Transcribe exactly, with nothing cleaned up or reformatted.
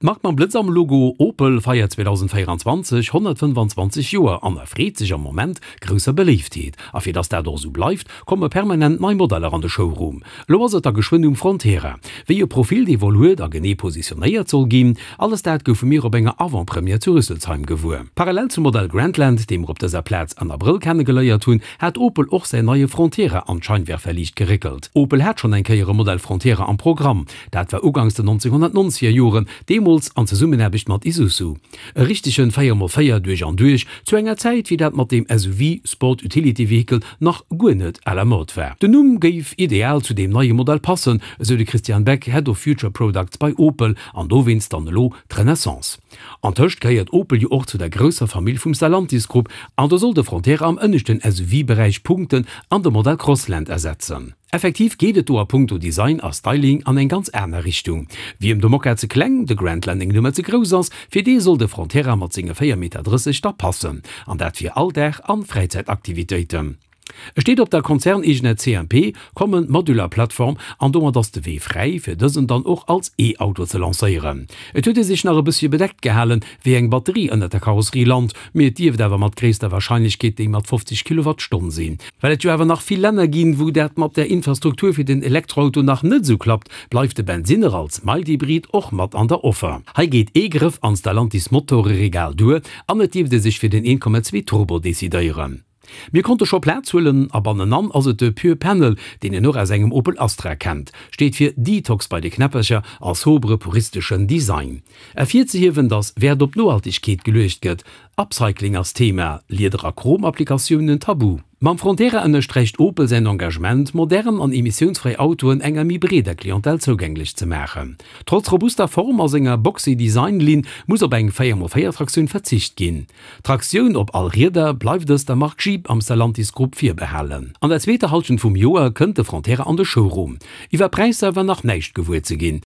D'Mark mam Blëtz am Logo Opel feiert zweedausendvéieranzwanzeg honnertfënnefanzwanzeg Joer an erfreet sech am Moment grousser Beléiftheet. A fir dass dat och esou bleift, komme permanent nei Modeller an de Showroom. Elo ass et da geschwënn um Frontera. Wéi e Profil dee wuel huet a genee positionéiert soll ginn, alles dat goufe mir op enger Avant-Première zu Rüsselsheim gewuer. Parallel zum Modell Grandland, dee mer op dëser Plaz an Abrëll kennegeléiert hunn, hat Opel och säin neie Frontera an d'Scheinwerferliicht geréckelt. Opel hat schonn eng Kéier e Modell Frontera am Programm. Dat war uganks den nonzénhunnertnonzeger Joren, deemools an Zesummenaarbecht mat Isuzu. E richtegen véier mol véier duerch an duerch, zu enger Zäit wéi dat mat deem S U V, Sport Utility Vehicle, nach guer net à la mode war. Den Numm géif ideal zu deem neie Modell passen, esou de Christian Beck, Head of Future Products bei Opel, an dowéinst dann elo d'Renaissance. Antëscht gehéiert Opel jo och zu der grousser Famill vum Stellantis Grupp, an do soll de Frontera am ënneschten S U V-Beräich punkten an de Modell Crossland ersetzen. Effektiv geet et do a punkto Design a Styling an eng ganz aner Richtung. Wiem de Mokka ze kleng, de Grandland eng Nummer ze grouss ass, fir dee soll de Frontera mat senge véier Meter drësseg da passen. An dat fir Alldag an Fräizäitaktivitéiten. E steet op der konzerneegener C M P, Common Modular Platform, an domat ass de Wee fräi, fir dësen dann och als E-Auto ze lancéieren. Et huet ee sech nach e bëssche bedeckt gehalen, wéi eng Batterie ënnert der Karosserie lant, mee et dierft awer mat gréisster Warscheinlechkeet déi mat fofzeg Kilowattstonn sinn. Well et jo awer nach vill Länner ginn, wou dat mat der Infrastruktur fir den Elektroauto nach net esou klappt, bleift de Bensinner als Mild-Hybrid och mat an der Offer. Hei geet ee Grëff an Stellantis Motoreregal duer an et dierft ee sech fir den een Komma zwee Turbo decidéieren. Mir konnte scho Plaz huelen a bannenan ass et de Pure Panel, deen een och aus engem Opel Astra kennt. Steet fir Detox bei de Knäppercher a sobre puristeschen Design. Ervirzehiewen, dass Wäert op Nohaltegkeet geluecht gëtt, Upcycling ass Thema, Lieder a Chrom-Applikatiounen tabu. Mam Frontera ënnersträicht Opel säin Engagement, modern an emissiounsfräi Autoen enger méi breeder Clientèle zougänglech ze maachen. Trotz robuster Form a senger boxy Design-Linn muss op eng véier mol véier Traktioun verzicht ginn. D'Traktioun op all Rieder bleift dës der Mark Jeep am Stellantis Grupp virbehalen. An der zweeter Hallschent vum Joer kënnt de Frontera an de Showroom. Iwwer Präisser war nach näischt gewuer ze ginn.